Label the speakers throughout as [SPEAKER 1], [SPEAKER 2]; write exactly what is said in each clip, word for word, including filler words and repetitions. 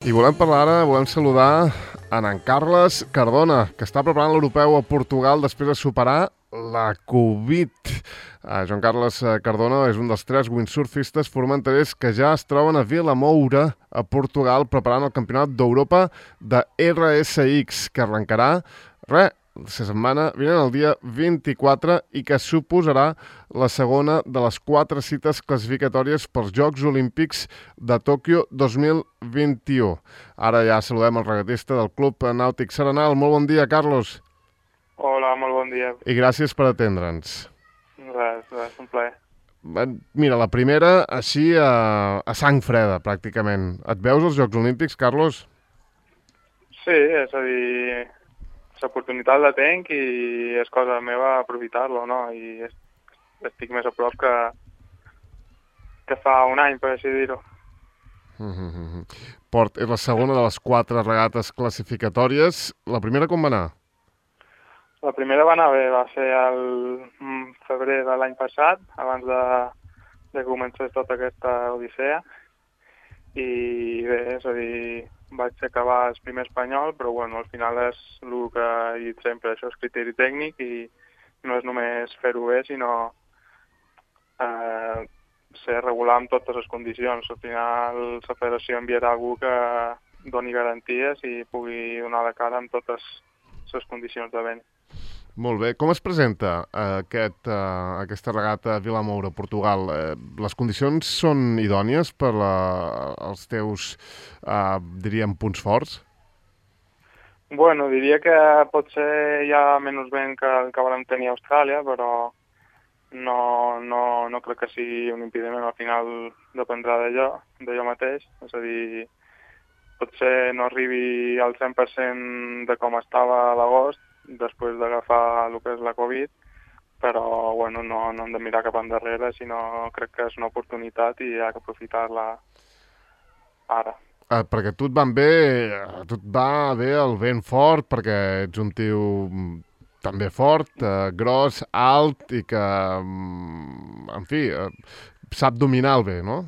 [SPEAKER 1] I volem parlar ara, volem saludar en en Carles Cardona, que està preparant l'europeu a Portugal després de superar la Covid. Uh, Joan Carles Cardona és un dels tres windsurfistes formenterers que ja es troben a Vilamoura, a Portugal, preparant el Campionat d'Europa de R S X, que arrencarà, res, la setmana vinent el dia vint-i-quatre i que suposarà la segona de les quatre cites classificatòries pels Jocs Olímpics de Tòquio dos mil vint-i-u. Ara ja saludem el regatista del Club Nàutic Serenal. Molt bon dia, Carlos.
[SPEAKER 2] Hola, molt bon dia.
[SPEAKER 1] I gràcies per atendre'ns.
[SPEAKER 2] Res, res, un plaer.
[SPEAKER 1] Mira, la primera, així a, a sang freda, pràcticament. Et veus als Jocs Olímpics, Carlos?
[SPEAKER 2] Sí, és a dir, l'oportunitat la tenc i és cosa meva aprofitar-lo, no? I estic més a prop que, que fa un any, per així dir-ho.
[SPEAKER 1] Mm-hmm. Port és la segona de les quatre regates classificatòries. La primera com va anar?
[SPEAKER 2] La primera va anar bé, va ser el febrer de l'any passat, abans de, de que comencés tota aquesta odissea. I bé, és a dir, vaig acabar el primer espanyol, però bueno, al final és el que he dit sempre, això és criteri tècnic i no és només fer-ho bé, sinó eh, ser regular amb totes les condicions. Al final la federació enviarà algú que doni garanties i pugui donar la cara amb totes les condicions de vent.
[SPEAKER 1] Molt bé. Com es presenta aquest, uh, aquesta regata a Vilamoura, Portugal? Eh, les condicions són idònies per la, els teus, uh, diríem, punts forts?
[SPEAKER 2] Bueno, diria que potser hi ha menys vent que el que vam tenir a Austràlia, però no, no, no crec que sigui un impediment. Al final dependrà d'allò, d'allò mateix. És a dir, potser no arribi al cent per cent de com estava a l'agost, després d'agafar el que és la Covid, però bueno, no, no hem de mirar cap endarrere, sinó crec que és una oportunitat i hi ha que aprofitar-la ara.
[SPEAKER 1] Eh, perquè tu et van bé, tu et va bé el vent fort, perquè ets un tio també fort, eh, gros, alt i que, en fi, eh, sap dominar el bé, no?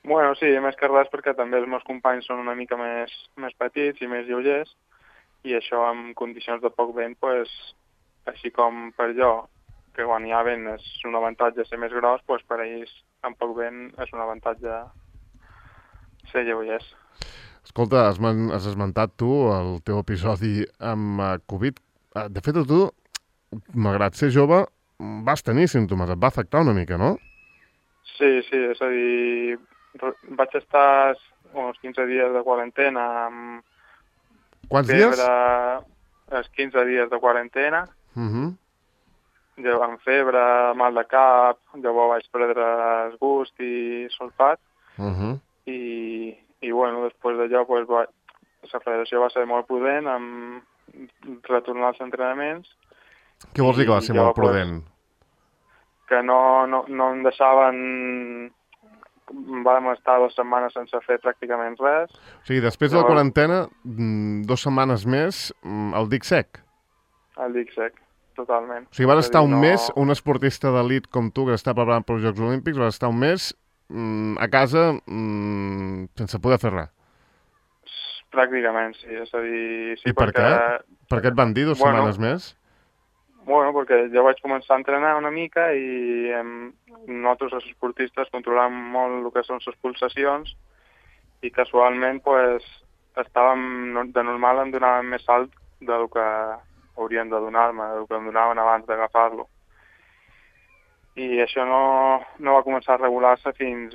[SPEAKER 2] Bueno, sí, més que res perquè també els meus companys són una mica més, més petits i més lleugers, i això en condicions de poc vent, pues, així com per jo, que quan hi ha vent és un avantatge ser més gros, pues per ells amb poc vent és un avantatge ser lleugers.
[SPEAKER 1] Escolta, has, has esmentat tu el teu episodi amb uh, Covid. Uh, de fet, a tu, malgrat ser jove, vas tenir símptomes, et va afectar una mica, no?
[SPEAKER 2] Sí, sí, és a dir, vaig estar uns quinze dies de quarantena amb
[SPEAKER 1] Quants
[SPEAKER 2] febre,
[SPEAKER 1] dies?
[SPEAKER 2] els quinze dies de quarantena,
[SPEAKER 1] uh-huh.
[SPEAKER 2] jo amb febre, mal de cap, llavors vaig perdre el gust i sulfat,
[SPEAKER 1] uh-huh.
[SPEAKER 2] i, i bueno, després d'allò pues, va, la federació va ser molt prudent amb retornar als entrenaments.
[SPEAKER 1] Què vols dir que va ser molt prudent?
[SPEAKER 2] Pues, que no, no, no em deixaven... Vam estar dues setmanes sense fer pràcticament res.
[SPEAKER 1] O sigui, després de la quarantena, dues setmanes més, el dic sec.
[SPEAKER 2] El dic sec, totalment.
[SPEAKER 1] O sigui, vas estar un mes, un esportista d'elit com tu, que està preparant pels Jocs Olímpics, vas estar un mes a casa sense poder fer res.
[SPEAKER 2] Pràcticament, sí. És a dir, sí,
[SPEAKER 1] I per
[SPEAKER 2] perquè...
[SPEAKER 1] què? Per què et van dir dues
[SPEAKER 2] bueno,
[SPEAKER 1] setmanes més?
[SPEAKER 2] Bueno, perquè jo vaig començar a entrenar una mica i em, nosaltres, els esportistes, controlam molt el que són les pulsacions i casualment pues, estàvem de normal em donaven més salt del que haurien de donar-me, del que em donaven abans d'agafar-lo. I això no, no va començar a regular-se fins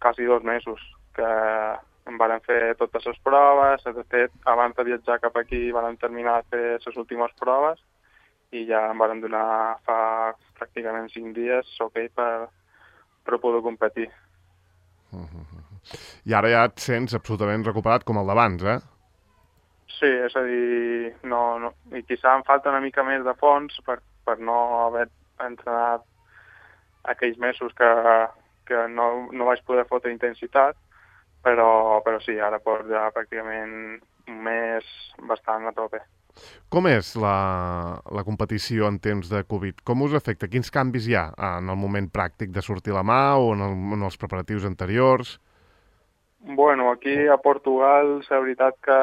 [SPEAKER 2] quasi dos mesos, que em van fer totes les proves, de fet, abans de viatjar cap aquí van terminar de fer les últimes proves i ja em van donar fa pràcticament cinc dies ok per, per poder competir.
[SPEAKER 1] Uh-huh. I ara ja et sents absolutament recuperat com el d'abans, eh?
[SPEAKER 2] Sí, és a dir, no, no, i quizà em falta una mica més de fons per, per no haver entrenat aquells mesos que, que no, no vaig poder fotre intensitat, però, però sí, ara porto ja pràcticament un mes bastant a tope.
[SPEAKER 1] Com és la, la competició en temps de Covid? Com us afecta? Quins canvis hi ha en el moment pràctic de sortir la mà o en, el, en els preparatius anteriors?
[SPEAKER 2] Bueno, aquí a Portugal la veritat que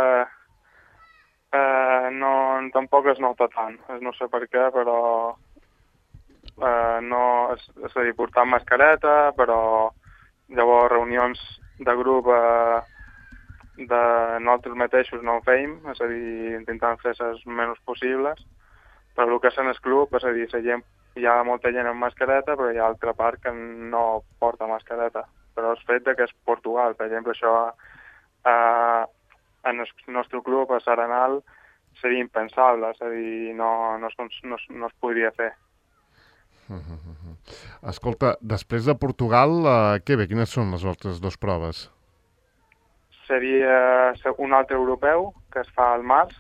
[SPEAKER 2] eh, no, tampoc es nota tant. No sé per què, però eh, no, és, és a dir, portant mascareta, però llavors reunions de grup eh, de nosaltres mateixos no ho feim, és a dir, intentant fer les menys possibles, però el que és en el club, és a dir, la gent, hi ha molta gent amb mascareta, però hi ha altra part que no porta mascareta. Però el fet de que és Portugal, per exemple, això eh, en el nostre club, a Saranal, seria impensable, és a dir, no, no, es, no, es- no es podria fer.
[SPEAKER 1] Escolta, després de Portugal, eh, què bé? Quines són les altres dues proves?
[SPEAKER 2] Seria un altre europeu, que es fa al març,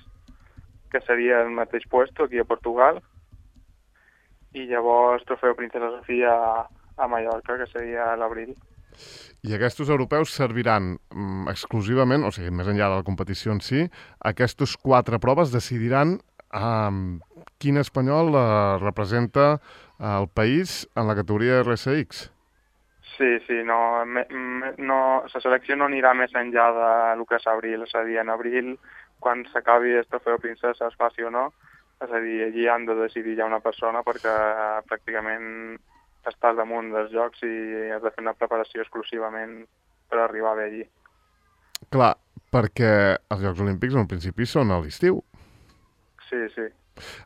[SPEAKER 2] que seria el mateix puesto aquí a Portugal, i llavors trofeu Princesa Sofia a, a Mallorca, que seria a l'abril.
[SPEAKER 1] I aquests europeus serviran mm, exclusivament, o sigui, més enllà de la competició en si, aquestes quatre proves decidiran um, quin espanyol uh, representa el país en la categoria R S X.
[SPEAKER 2] Sí, sí, no, me, me, no, la selecció no anirà més enllà de lo que és abril, és a dir, en abril, quan s'acabi el trofeu Princesa es faci o no, és a dir, allí han de decidir ja una persona perquè pràcticament estàs damunt dels jocs i has de fer una preparació exclusivament per arribar bé allí.
[SPEAKER 1] Clar, perquè els Jocs Olímpics en principi són a l'estiu.
[SPEAKER 2] Sí, sí.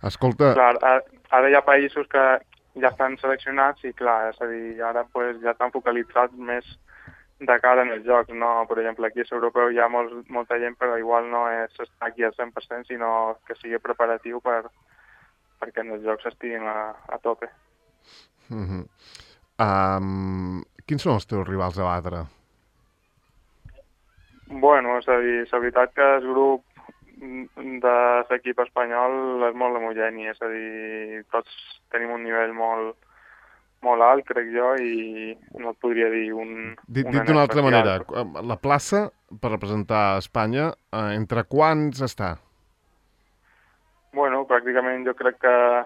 [SPEAKER 1] Escolta...
[SPEAKER 2] Clar, ara, ara hi ha països que ja estan seleccionats i clar, és a dir, ara pues, ja estan focalitzats més de cara en els jocs, no? Per exemple, aquí a l'europeu hi ha molt, molta gent, però igual no és estar aquí al cent per cent, sinó que sigui preparatiu per, perquè en els jocs estiguin a, a tope.
[SPEAKER 1] Uh -huh. um, quins són els teus rivals a batre?
[SPEAKER 2] Bueno, és a dir, la veritat que el grup de l'equip espanyol és molt homogeni, és a dir, tots tenim un nivell molt, molt alt, crec jo, i no et podria dir un,
[SPEAKER 1] Dit,
[SPEAKER 2] un
[SPEAKER 1] dit
[SPEAKER 2] en
[SPEAKER 1] d'una altra
[SPEAKER 2] especial.
[SPEAKER 1] manera, la plaça per representar Espanya, eh, entre quants està?
[SPEAKER 2] Bueno, pràcticament jo crec que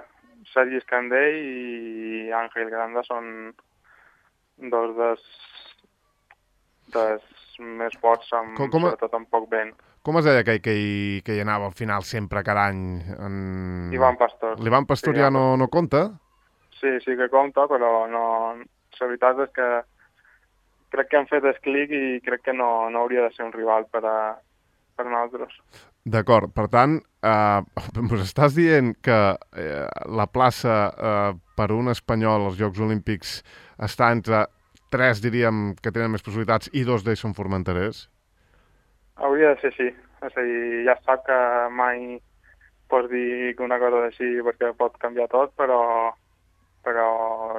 [SPEAKER 2] Sergi Escandell i Àngel Granda són dos dels, dels més forts, amb,
[SPEAKER 1] Com, com,
[SPEAKER 2] sobretot amb poc vent.
[SPEAKER 1] com es deia aquell que hi, que hi anava al final sempre, cada any? En...
[SPEAKER 2] Ivan Pastor.
[SPEAKER 1] L'Ivan Pastor
[SPEAKER 2] Sí,
[SPEAKER 1] ja
[SPEAKER 2] Ivan
[SPEAKER 1] no,
[SPEAKER 2] Pastor.
[SPEAKER 1] no compta?
[SPEAKER 2] Sí, sí que compta, però no... La veritat és que crec que han fet el clic i crec que no, no hauria de ser un rival per a, per nosaltres.
[SPEAKER 1] D'acord, per tant, eh, ens estàs dient que eh, la plaça eh, per un espanyol als Jocs Olímpics està entre tres, diríem, que tenen més possibilitats i dos d'ells són formenterers?
[SPEAKER 2] Hauria de ser així. És a dir, ja sap que mai pots dir que una cosa així perquè pot canviar tot, però, però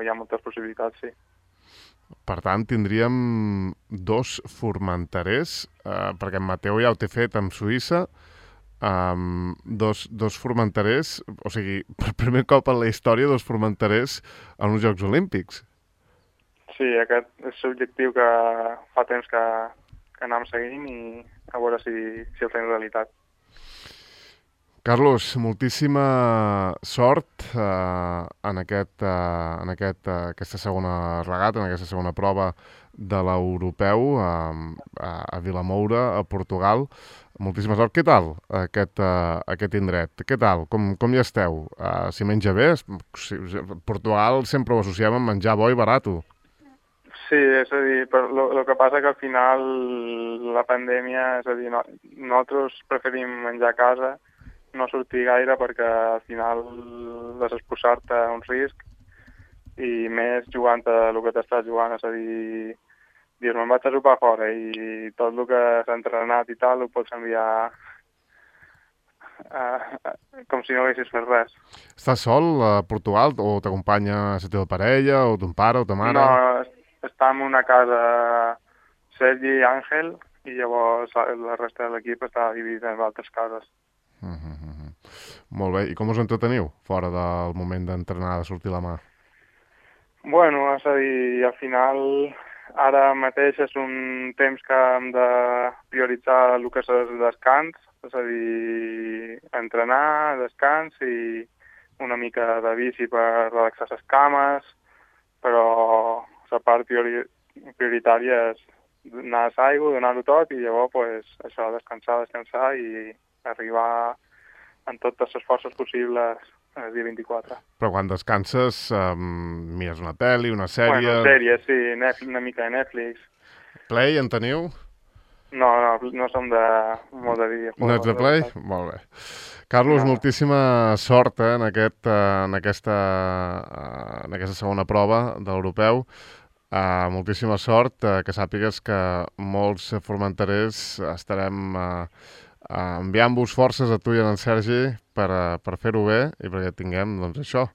[SPEAKER 2] hi ha moltes possibilitats, sí.
[SPEAKER 1] Per tant, tindríem dos formenterers, eh, perquè en Mateu ja ho té fet amb Suïssa, um, dos, dos formenterers, o sigui, per primer cop en la història, dos formenterers en uns Jocs Olímpics.
[SPEAKER 2] Sí, aquest és l'objectiu que fa temps que, que anem seguint i a veure si, si el fem realitat.
[SPEAKER 1] Carlos, moltíssima sort eh, en, aquest, eh, en aquest, eh, aquesta segona regata, en aquesta segona prova de l'europeu eh, a, a Vilamoura, a Portugal. Moltíssima sort. Què tal aquest, eh, aquest indret? Què tal? Com, com hi esteu? Uh, si menja bé? Si, Portugal sempre ho associem amb menjar bo i barato.
[SPEAKER 2] Sí, és a dir, el que passa que al final la pandèmia, és a dir, no, nosaltres preferim menjar a casa, no sortir gaire perquè al final has exposar-te a un risc i més jugant a el que t'estàs jugant, és a dir, dius, me'n vaig a sopar fora i tot el que s'ha entrenat i tal ho pots enviar uh, com si no haguessis fet res.
[SPEAKER 1] Estàs sol a Portugal o t'acompanya la teva parella o ton pare o ta mare?
[SPEAKER 2] No, està en una casa Sergi i Àngel i llavors la resta de l'equip està dividit en altres cases.
[SPEAKER 1] Uh -huh. Molt bé. I com us entreteniu fora del moment d'entrenar, de sortir la mà?
[SPEAKER 2] Bueno, és a dir, al final ara mateix és un temps que hem de prioritzar el que és el descans, és a dir, entrenar, descans i una mica de bici per relaxar les cames, però la part priori prioritària és, anar a l'aigua, donar-ho tot i llavors pues, això, descansar, descansar i arribar amb totes les forces possibles el dia vint-i-quatre.
[SPEAKER 1] Però quan descanses, um, mires una pel·li, una sèrie...
[SPEAKER 2] Bueno, sèries, sí, Netflix, una mica de Netflix.
[SPEAKER 1] Play en teniu?
[SPEAKER 2] No, no, no som de molt de vídeo.
[SPEAKER 1] No ets de Play? Molt bé. Carlos, no. moltíssima sort eh, en, aquest, en, aquesta, en aquesta segona prova de l'europeu. Uh, moltíssima sort, uh, que sàpigues que molts formenterers estarem uh, uh, enviant-vos forces a tu i a en Sergi per, uh, per fer-ho bé i perquè tinguem, doncs això,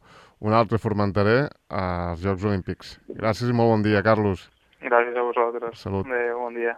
[SPEAKER 1] un altre formenterer als Jocs Olímpics. Gràcies i molt bon dia, Carlos.
[SPEAKER 2] Gràcies a vosaltres.
[SPEAKER 1] Salut.
[SPEAKER 2] Adéu, bon dia.